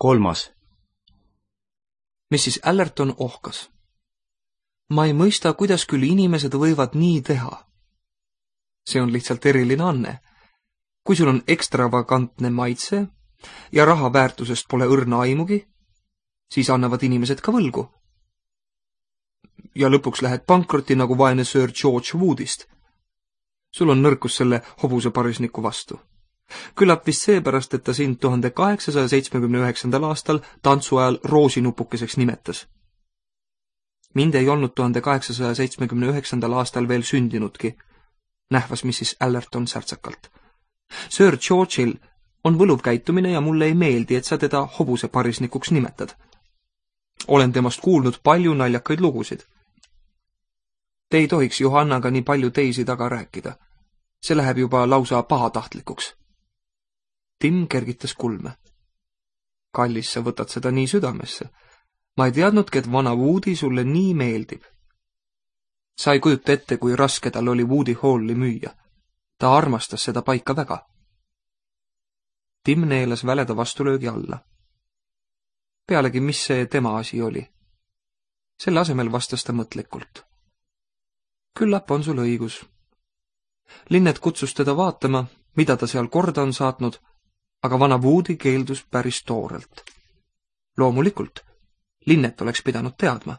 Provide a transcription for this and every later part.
3. Mrs. Allerton ohkas. Ma ei mõista, kuidas küll inimesed võivad nii teha. See on lihtsalt eriline anne. Kui sul on ekstravagantne maitse ja raha väärtusest pole õrna aimugi, siis annavad inimesed ka võlgu. Ja lõpuks lähed pankrotti nagu vaene Sir George Woodist. Sul on nõrkus selle hobuse parisniku vastu. Küllap vist seepärast, et ta sind 1879. aastal tantsu ajal roosinupukeseks nimetas. Mind ei olnud 1879. aastal veel sündinudki, nähvas Mrs. Allerton särtsakalt. Sir George'il on võluv käitumine ja mulle ei meeldi, et sa teda hobuse parisnikuks nimetad. Olen temast kuulnud palju naljakaid lugusid. Te ei tohiks Johannaga nii palju teisi taga rääkida. See läheb juba lausa pahatahtlikuks. Tim kergitas kulme. Kallis, sa võtad seda nii südamesse. Ma ei teadnudki, et vana Woody sulle nii meeldib. Sa ei kujuta ette, kui raske tal oli Woody Halli müüa. Ta armastas seda paika väga. Tim neelas väleda vastulöögi alla. Pealegi, mis see tema asi oli? Selle asemel vastas ta mõtlikult. Küllap on sul õigus. Linnet kutsus teda vaatama, mida ta seal korda on saatnud, aga vana Woody keeldus päris toorelt. Loomulikult, Linnet oleks pidanud teadma.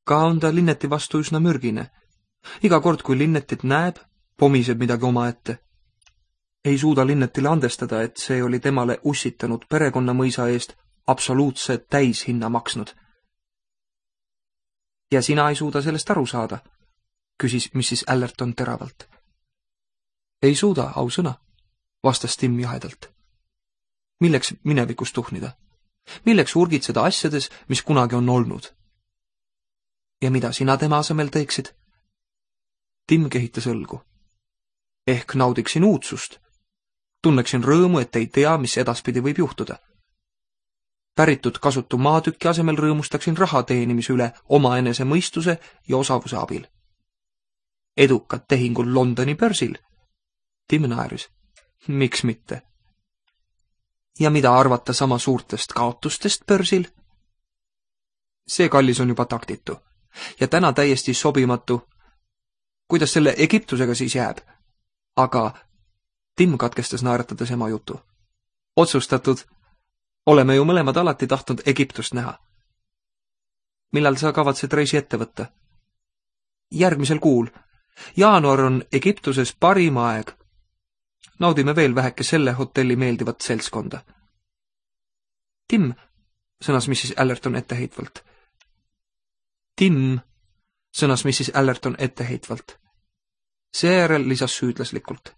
Ka on ta Linneti vastu üsna mürgine. Iga kord, kui Linnetit näeb, pomiseb midagi omaette. Ei suuda Linnetile andestada, et see oli temale ussitanud perekonnamõisa eest absoluutse täishinna maksnud. Ja sina ei suuda sellest aru saada, küsis Mrs. Allerton teravalt. Ei suuda, ausõna, vastas Tim jahedalt. Milleks minevikus tuhnida? Milleks urgitseda asjades, mis kunagi on olnud? Ja mida sina tema asemel teeksid? Tim kehitas õlgu. Ehk naudiksin uudsust. Tunneksin rõõmu, et ei tea, mis edaspidi võib juhtuda. Päritud kasutu maatükki asemel rõõmustaksin raha teenimise üle omaenese mõistuse ja osavuse abil. Edukad tehingul Londoni börsil. Tim naeris. Miks mitte? Ja mida arvata sama suurtest kaotustest börsil? See, kallis, on juba taktitu. Ja täna täiesti sobimatu. Kuidas selle Egiptusega siis jääb? Aga Tim katkestas naeratades ema jutu. Otsustatud. Oleme ju mõlemad alati tahtnud Egiptust näha. Millal sa kavatsed reisi ette võtta? Järgmisel kuul. Jaanuar on Egiptuses parim aeg. Naudime veel väheke selle hotelli meeldivat seltskonda. Tim, sõnas Mrs. Allerton etteheitvalt. Tim, sõnas Mrs. Allerton etteheitvalt. Seejärel lisas süüdlaslikult.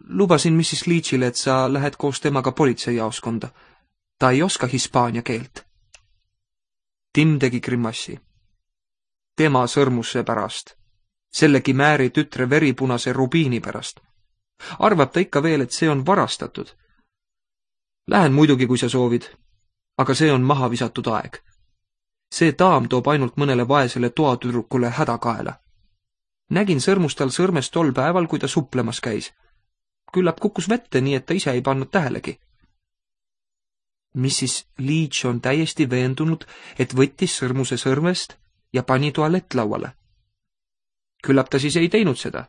Lubasin Mrs. Leachile, et sa lähed koos temaga politseijaoskonda. Ta ei oska hispaania keelt. Tim tegi grimassi. Tema sõrmuse pärast. Sellegi Määri tütre veripunase rubiini pärast. Arvab ta ikka veel, et see on varastatud. Lähen muidugi, kui sa soovid, aga see on maha visatud aeg. See daam toob ainult mõnele vaesele toatüdrukule hädakaela. Nägin sõrmustal sõrmest tol päeval, kui ta suplemas käis. Küllap kukkus vette, nii et ta ise ei pannud tähelegi. Mrs. Leach on täiesti veendunud, et võttis sõrmuse sõrmest ja pani tualettlauale. Küllap ta siis ei teinud seda.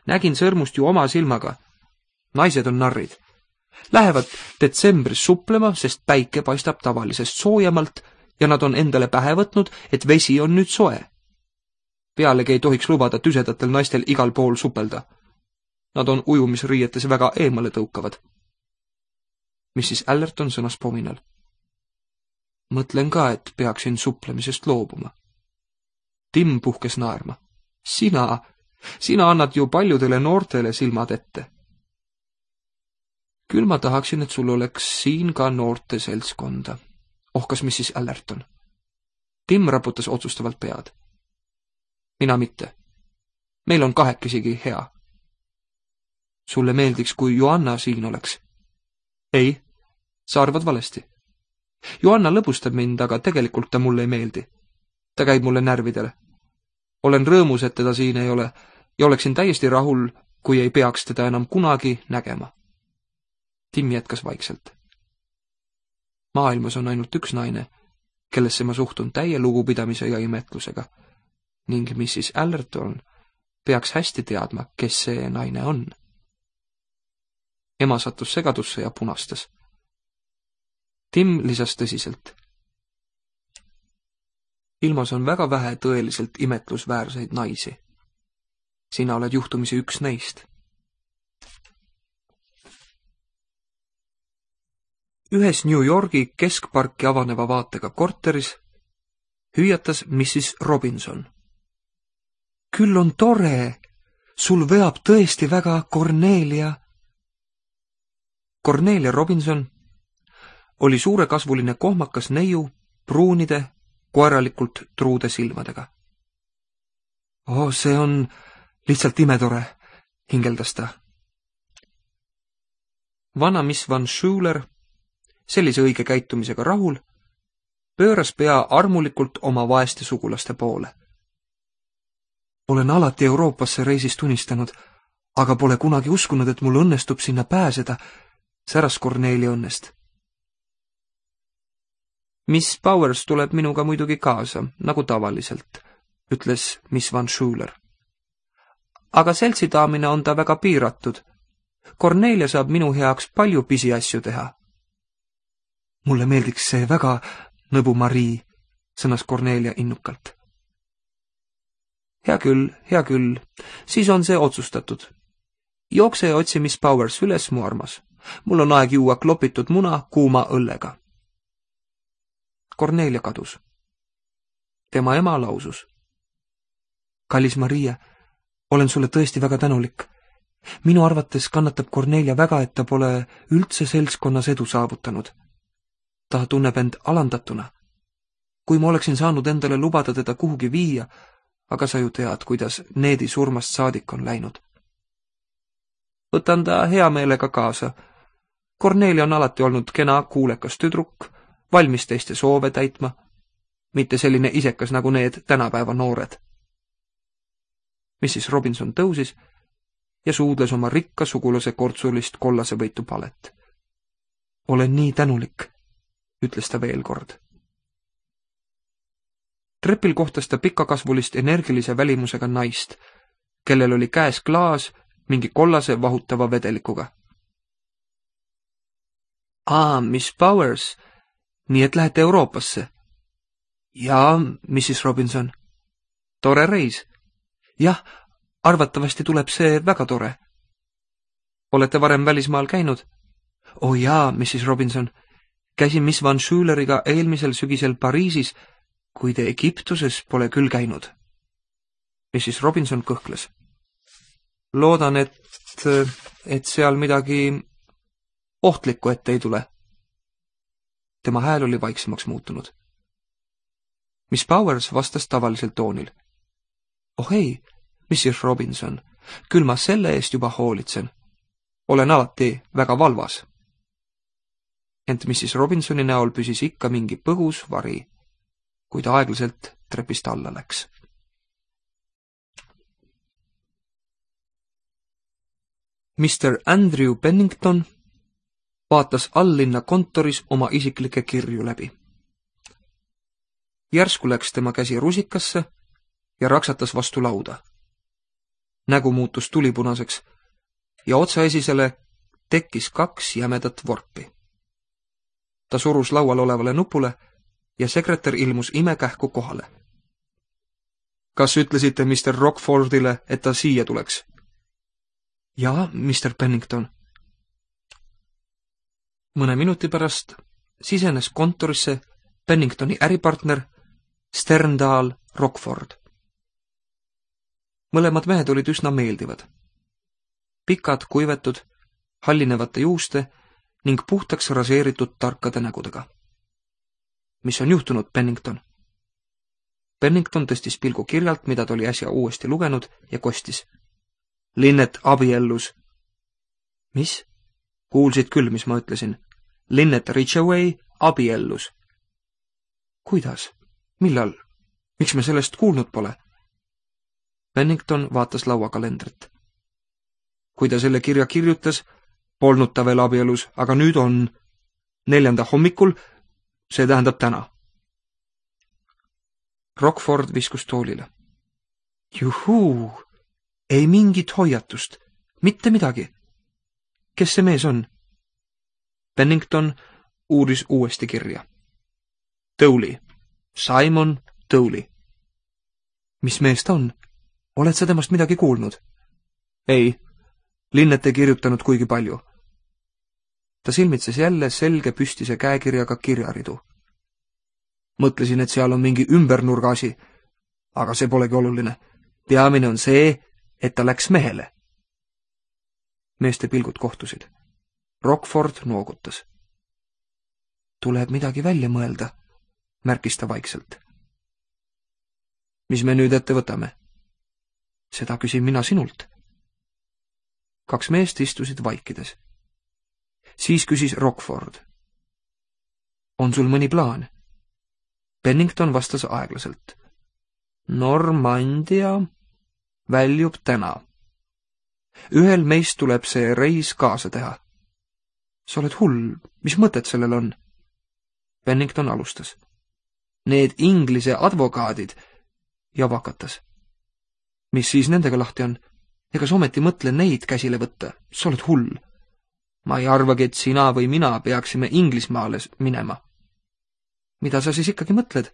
Nägin sõrmust ju oma silmaga. Naised on narrid. Lähevad detsembris suplema, sest päike paistab tavalisest soojemalt ja nad on endale pähe võtnud, et vesi on nüüd soe. Pealegi ei tohiks lubada tüsedatel naistel igal pool supelda. Nad on ujumisriietes väga eemale tõukavad. Mrs. Allerton sõnas pominal. Mõtlen ka, et peaksin suplemisest loobuma. Tim puhkes naerma. Sina annad ju paljudele noortele silmad ette. Küll ma tahaksin, et sul oleks siin ka noorte seltskonda, ohkas Mrs. Allerton. Tim raputas otsustavalt pead. Mina mitte. Meil on kahekesigi hea. Sulle meeldiks, kui Johanna siin oleks? Ei, sa arvad valesti. Johanna lõbustab mind, aga tegelikult ta mulle ei meeldi. Ta käib mulle närvidele. Olen rõõmus, et teda siin ei ole ja oleksin täiesti rahul, kui ei peaks teda enam kunagi nägema. Tim jätkas vaikselt. Maailmas on ainult üks naine, kellesse ma suhtun täie lugupidamise ja imetlusega, ning Mrs. Allerton peaks hästi teadma, kes see naine on. Ema sattus segadusse ja punastas. Tim lisas tõsiselt. Ilmas on väga vähe tõeliselt imetlusväärseid naisi. Sina oled juhtumisi üks neist. Ühes New Yorgi keskparki avaneva vaatega korteris hüüatas Mrs. Robinson. Küll on tore, sul veab tõesti väga Cornelia. Cornelia Robinson oli suurekasvuline kohmakas neiu pruunide, koeralikult truude silmadega. See on lihtsalt imetore, hingeldas ta. Vana Miss Van Schuler, sellise õige käitumisega rahul, pööras pea armulikult oma vaeste sugulaste poole. Olen alati Euroopasse reisist unistanud, aga pole kunagi uskunud, et mul õnnestub sinna pääseda, säras Cornelia õnnest. Miss Powers tuleb minuga muidugi kaasa, nagu tavaliselt, ütles Miss Van Schuler. Aga seltsidaamine on ta väga piiratud. Cornelia saab minu heaks palju pisiasju teha. Mulle meeldiks see väga, nõbu Marie, sõnas Cornelia innukalt. Hea küll, siis on see otsustatud. Jookse ja otsi Miss Powers üles, mu armas. Mul on aeg juua klopitud muna kuuma õllega. Cornelia kadus. Tema ema lausus. Kallis Maria, olen sulle tõesti väga tänulik. Minu arvates kannatab Cornelia väga, et ta pole üldse seltskonnas edu saavutanud. Ta tunneb end alandatuna. Kui ma oleksin saanud endale lubada teda kuhugi viia, aga sa ju tead, kuidas Needi surmast saadik on läinud. Võtan ta hea meelega kaasa. Cornelia on alati olnud kena kuulekas tüdruk, valmis teiste soove täitma, mitte selline isekas nagu need tänapäeva noored. Mrs. Robinson tõusis ja suudles oma rikka sugulase kortsulist kollasevõitu palet. Olen nii tänulik, ütles ta veel kord. Trepil kohtas ta pikakasvulist energilise välimusega naist, kellel oli käes klaas mingi kollase vahutava vedelikuga. Miss Powers, nii et lähete Euroopasse? Jaa, Mrs. Robinson. Tore reis. Jah, arvatavasti tuleb see väga tore. Olete varem välismaal käinud? Jaa, Mrs. Robinson. Käisin Miss Van Schuleriga eelmisel sügisel Pariisis, kuid Egiptuses pole küll käinud. Mrs. Robinson kõhkles. Loodan, et seal midagi ohtlikku ette ei tule. Tema hääl oli vaiksemaks muutunud. Miss Powers vastas tavalisel toonil. Ei, Mrs. Robinson, küll ma selle eest juba hoolitsen. Olen alati väga valvas. Ent Mrs. Robinsoni näol püsis ikka mingi põgus vari, kui ta aeglaselt trepist alla läks. Mr. Andrew Pennington vaatas alllinna kontoris oma isiklikke kirju läbi. Järsku läks tema käsi rusikasse ja raksatas vastu lauda. Nägu muutus tulipunaseks ja otsaesisele tekkis 2 jämedat vorpi. Ta surus laual olevale nupule ja sekretär ilmus imekähku kohale. Kas ütlesite Mr. Rockfordile, et ta siia tuleks? Jaa, Mr. Pennington. Mõne minuti pärast sisenes kontorisse Penningtoni äripartner Sterndal Rockford. Mõlemad mehed olid üsna meeldivad. Pikad, kuivetud, hallinevate juuste ning puhtaks raseeritud tarkade nägudega. Mis on juhtunud, Pennington? Pennington tõstis pilgu kirjalt, mida ta oli äsja uuesti lugenud ja kostis. Lynette abiellus. Mis? Kuulsid küll, mis ma ütlesin. Lynette Ridgeway abiellus. Kuidas? Millal? Miks me sellest kuulnud pole? Pennington vaatas lauakalendrit. Kui ta selle kirja kirjutas, polnud ta veel abielus, aga nüüd on. 4. hommikul see tähendab täna. Rockford viskus toolile. Juhuu, ei mingit hoiatust, mitte midagi. Kes see mees on? Pennington uuris uuesti kirja. Tolley, Simon Tolley. Mis mees ta on? Oled sa temast midagi kuulnud? Ei, Linnet ei kirjutanud kuigi palju. Ta silmitses jälle selge püstise käekirjaga kirjaridu. Mõtlesin, et seal on mingi ümbernurga asi, aga see polegi oluline. Peamine on see, et ta läks mehele. Meeste pilgud kohtusid. Rockford noogutas. Tuleb midagi välja mõelda, märkis ta vaikselt. Mis me nüüd ette võtame? Seda küsin mina sinult. 2 meest istusid vaikides. Siis küsis Rockford. On sul mõni plaan? Pennington vastas aeglaselt. Normandia väljub täna. Ühel meist tuleb see reis kaasa teha. Sa oled hull, mis mõtet sellel on? Pennington alustas. Need Inglise advokaadid ja vakatas. Mis siis nendega lahti on? Ega sa ometi mõtle neid käsile võtta, sa oled hull. Ma ei arvagi, et sina või mina peaksime Inglismaale minema. Mida sa siis ikkagi mõtled?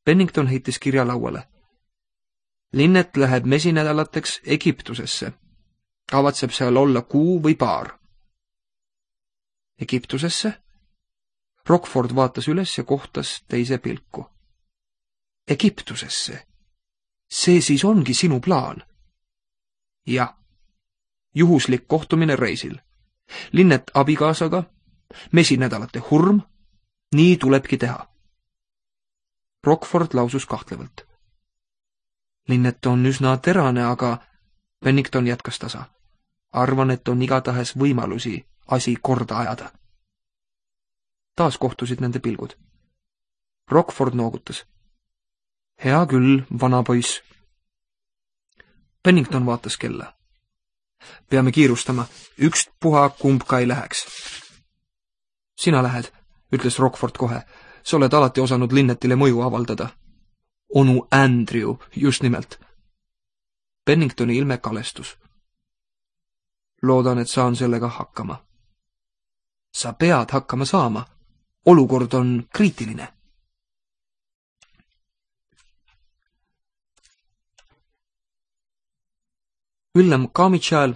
Pennington heitis kirja lauale. Linnet läheb mesinädalateks Egiptusesse. Kavatseb seal olla kuu või paar. Egiptusesse? Rockford vaatas üles ja kohtas teise pilku. Egiptusesse? See siis ongi sinu plaan? Jah. Juhuslik kohtumine reisil. Linnet abikaasaga, mesinädalate hurm, nii tulebki teha. Rockford lausus kahtlevalt. Linnet on üsna terane, aga Pennington jätkas tasa. Arvan, et on igatahes võimalusi asi korda ajada. Taas kohtusid nende pilgud. Rockford noogutas. Hea küll, vana poiss. Pennington vaatas kella. Peame kiirustama, ükspuha kumb ka ei läheks. Sina lähed, ütles Rockford kohe. Sa oled alati osanud Linnetile mõju avaldada. Onu Andrew, just nimelt. Penningtoni ilme kalestus. Loodan, et saan sellega hakkama. Sa pead hakkama saama. Olukord on kriitiline. Willem Carmichael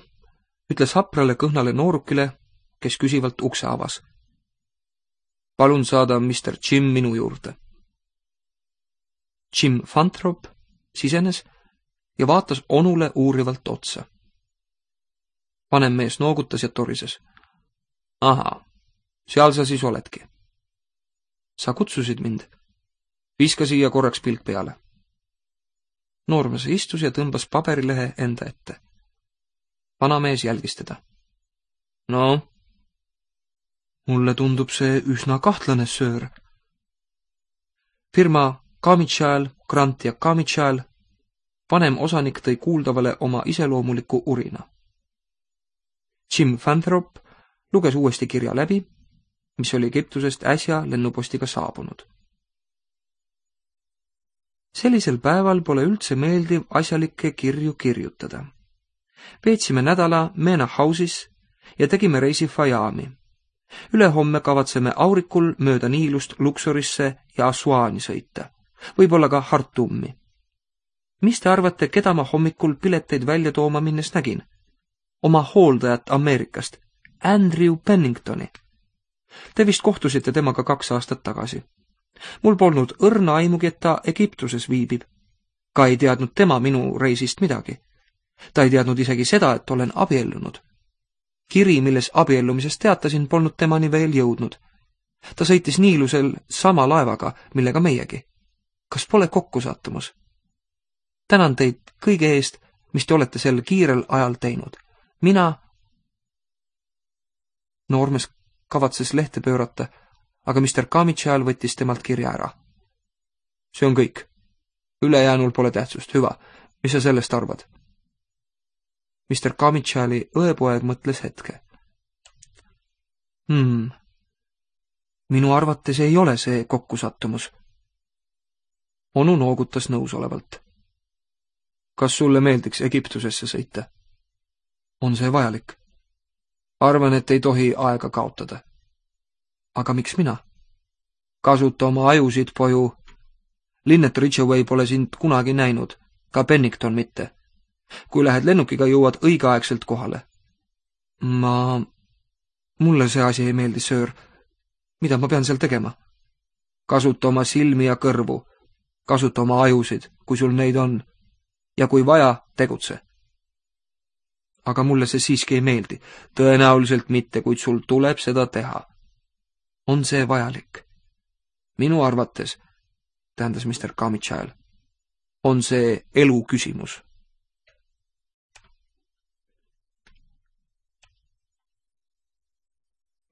ütles haprale kõhnale noorukile, kes küsivalt ukse avas. Palun saada Mr. Jim minu juurde. Jim Fantrop sisenes ja vaatas onule uurivalt otsa. Vanem mees noogutas ja torises. Aha, seal sa siis oledki. Sa kutsusid mind. Viska siia korraks pilk peale. Noormees istus ja tõmbas paberilehe enda ette. Vanamees jälgis teda. No? Mulle tundub see üsna kahtlane, söör. Firma Carmichael, Grant ja Carmichael, vanem osanik tõi kuuldavale oma iseloomuliku urina. Jim Fanthrop luges uuesti kirja läbi, mis oli Egiptusest äsja lennupostiga saabunud. Sellisel päeval pole üldse meeldiv asjalikke kirju kirjutada. Veetsime nädala Mena House'is ja tegime reisi Fayami. Ülehomme kavatseme aurikul mööda Niilust Luxorisse ja Assuani sõita, võib-olla ka Hartumi. Mis te arvate, keda ma hommikul pileteid välja tooma minnes nägin? Oma hooldajat Ameerikast, Andrew Penningtoni. Te vist kohtusite temaga 2 aastat tagasi. Mul polnud õrna aimugi, et ta Egiptuses viibib. Ka ei teadnud tema minu reisist midagi. Ta ei teadnud isegi seda, et olen abiellunud. Kiri, milles abiellumisest teatasin, polnud temani veel jõudnud. Ta sõitis Niilusel sama laevaga, millega meiegi. Kas pole kokkusattumus? Tänan teid kõige eest, mis te olete sel kiirel ajal teinud. Mina... Noormees kavatses lehte pöörata, aga Mr. Carmichael võttis temalt kirja ära. See on kõik. Ülejäänul pole tähtsust. Hüva, mis sa sellest arvad? Mr. Carmichaeli õepoeg mõtles hetke. Minu arvates ei ole see kokkusattumus. Onu noogutas nõusolevalt. Kas sulle meeldiks Egiptusesse sõita? On see vajalik? Arvan, et ei tohi aega kaotada. Aga miks mina? Kasuta oma ajusid, poju. Linnet Ridgeway pole sind kunagi näinud, ka Pennington mitte. Kui lähed lennukiga, jõuad õigeaegselt kohale. Mulle see asi ei meeldi, söör. Mida ma pean seal tegema? Kasuta oma silmi ja kõrvu. Kasuta oma ajusid, kui sul neid on. Ja kui vaja, tegutse. Aga mulle see siiski ei meeldi. Tõenäoliselt mitte, kuid sul tuleb seda teha. On see vajalik? Minu arvates, tähendas Mr. Carmichael, on see elu küsimus.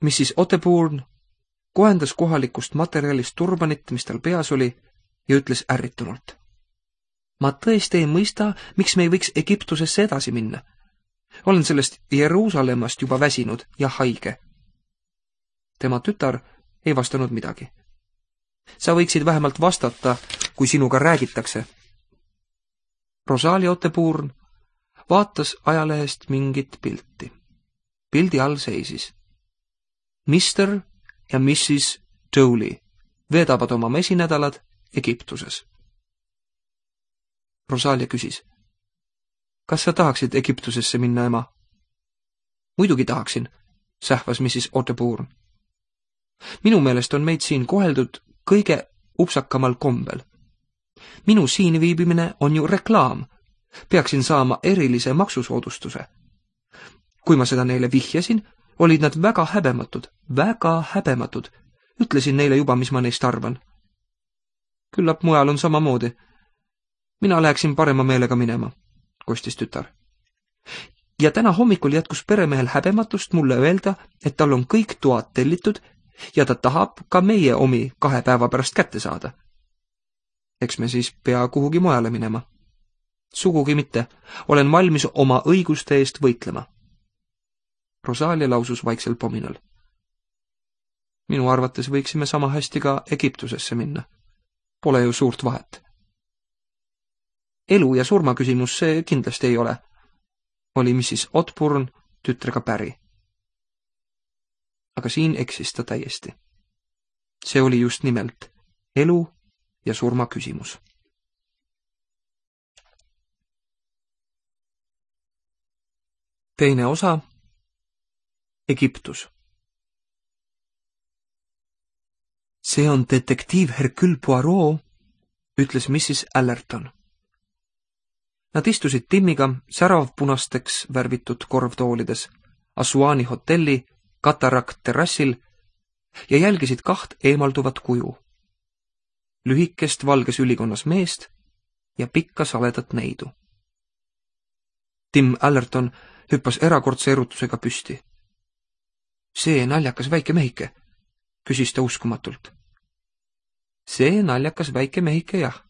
Mrs. Otterbourne kohendas kohalikust materjalist turbanit, mis tal peas oli, ja ütles ärritunult. Ma tõesti ei mõista, miks me ei võiks Egiptusesse edasi minna. Olen sellest Jeruusalemmast juba väsinud ja haige. Tema tütar ei vastanud midagi. Sa võiksid vähemalt vastata, kui sinuga räägitakse. Rosalia Otterbourne vaatas ajalehest mingit pilti. Pildi all seisis Mr. ja Mrs. Dowley veedavad oma mesinädalad Egiptuses. Rosalia küsis. Kas sa tahaksid Egiptusesse minna, ema? Muidugi tahaksin, sähvas Mrs. Otterbourne. Minu meelest on meid siin koheldud kõige upsakamal kombel. Minu siin viibimine on ju reklaam. Peaksin saama erilise maksusoodustuse. Kui ma seda neile vihjasin, olid nad väga häbematud. Ütlesin neile juba, mis ma neist arvan. Küllap mujal on samamoodi. Mina läheksin parema meelega minema, kostis tütar. Ja täna hommikul jätkus peremehel häbematust mulle öelda, et tal on kõik toad tellitud ja ta tahab ka meie omi 2 päeva pärast kätte saada. Eks me siis pea kuhugi mujale minema. Sugugi mitte. Olen valmis oma õiguste eest võitlema. Rosalia lausus vaiksel pominal. Minu arvates võiksime sama hästi ka Egiptusesse minna. Pole ju suurt vahet. Elu ja surma küsimus see kindlasti ei ole. Oli Mrs. Otterbourne tütrega päri. Aga siin eksis ta täiesti. See oli just nimelt elu ja surma küsimus. Teine osa. Egiptus. See on detektiiv Hercule Poirot, ütles Mrs. Allerton. Nad istusid Timmiga säravpunasteks värvitud korvtoolides Asuani hotelli Katarakt terrassil ja jälgisid 2 eemalduvat kuju. Lühikest valges ülikonnas meest ja pikka saledat neidu. Tim Allerton hüppas erakordse erutusega püsti. See naljakas väike mehike, küsis ta uskumatult. See naljakas väike mehike, jah.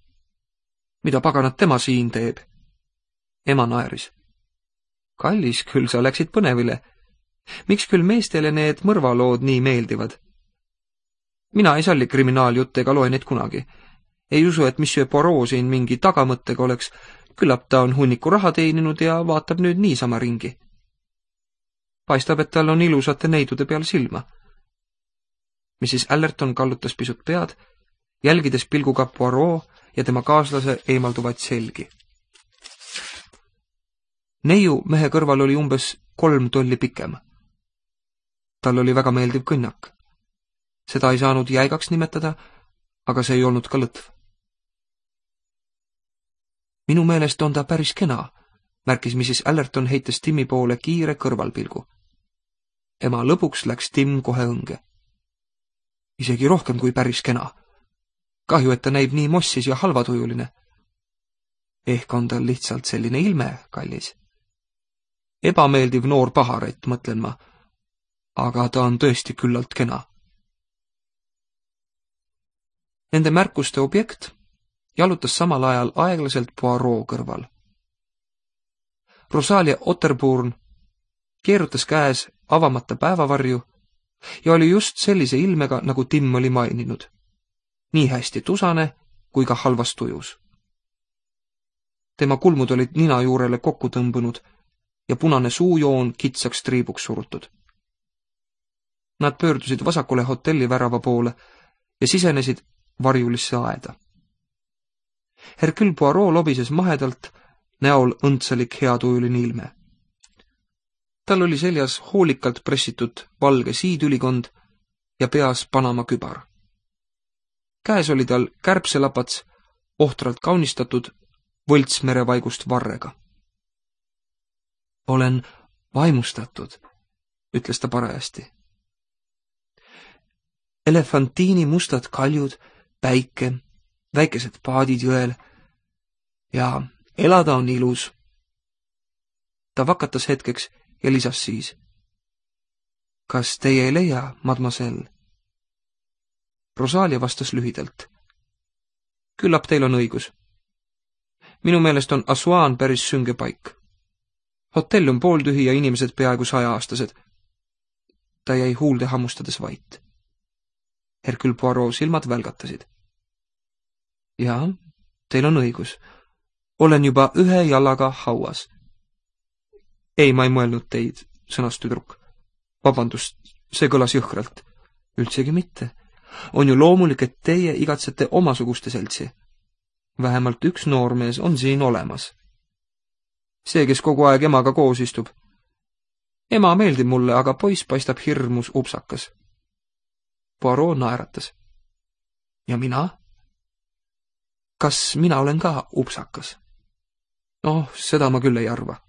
Mida paganat tema siin teeb? Ema naeris. Kallis, küll sa läksid põnevile. Miks küll meestele need mõrvalood nii meeldivad? Mina ei salli kriminaaljutte ega loe neid kunagi. Ei usu, et Monsieur Poirot siin mingi tagamõttega oleks. Küllap ta on hunniku raha teeninud ja vaatab nüüd niisama ringi. Paistab, et tal on ilusate neidude peal silma. Mrs. Allerton kallutas pisut pead, jälgides pilguga Poirot ja tema kaaslase eemalduvaid selgi. Neiu mehe kõrval oli umbes 3 tolli pikem. Tal oli väga meeldiv kõnnak. Seda ei saanud jäigaks nimetada, aga see ei olnud ka lõtv. Minu meelest on ta päris kena, märkis Mrs. Allerton heites Timmi poole kiire kõrvalpilgu. Ema lõpuks läks Tim kohe õnge. Isegi rohkem kui päris kena. Kahju, et ta näib nii mossis ja halvatujuline. Ehk on tal lihtsalt selline ilme, kallis. Ebameeldiv noor paharett, mõtlen ma. Aga ta on tõesti küllalt kena. Nende märkuste objekt jalutas samal ajal aeglaselt Poirot kõrval. Rosalia Otterbourne keerutas käes avamata päevavarju ja oli just sellise ilmega, nagu Tim oli maininud. Nii hästi tusane kui ka halvas tujus. Tema kulmud olid nina juurele kokku tõmbunud ja punane suujoon kitsaks triibuks surutud. Nad pöördusid vasakule hotelli värava poole ja sisenesid varjulisse aeda. Hercule Poirot lobises mahedalt, näol õndsalik heatujuline ilme. Tal oli seljas hoolikalt pressitud valge siidülikond ja peas Panama kübar. Käes oli tal kärbselapats, ohtralt kaunistatud võltsmerevaigust varrega. Olen vaimustatud, ütles ta parajasti. Elefantiini mustad kaljud, päike, väikesed paadid jõel ja elada on ilus. Ta vakatas hetkeks ja lisas siis. Kas teie ei leia, mademoiselle? Rosalia vastas lühidalt. Küllap teil on õigus. Minu meelest on Assuan päris sünge paik. Hotell on pooltühi ja inimesed peaaegu 100-aastased. Ta jäi huulde hammustades vait. Hercule Poirot silmad välgatasid. Jaa, teil on õigus. Olen juba 1 jalaga hauas. Ei, ma ei mõelnud teid, sõnas tüdruk. Vabandust, see kõlas jõhkralt. Üldsegi mitte. On ju loomulik, et teie igatsete omasuguste seltsi. Vähemalt üks noormees on siin olemas. See, kes kogu aeg emaga koos istub. Ema meeldib mulle, aga poiss paistab hirmus upsakas. Poirot naeratas. Ja mina? Kas mina olen ka upsakas? Seda ma küll ei arva.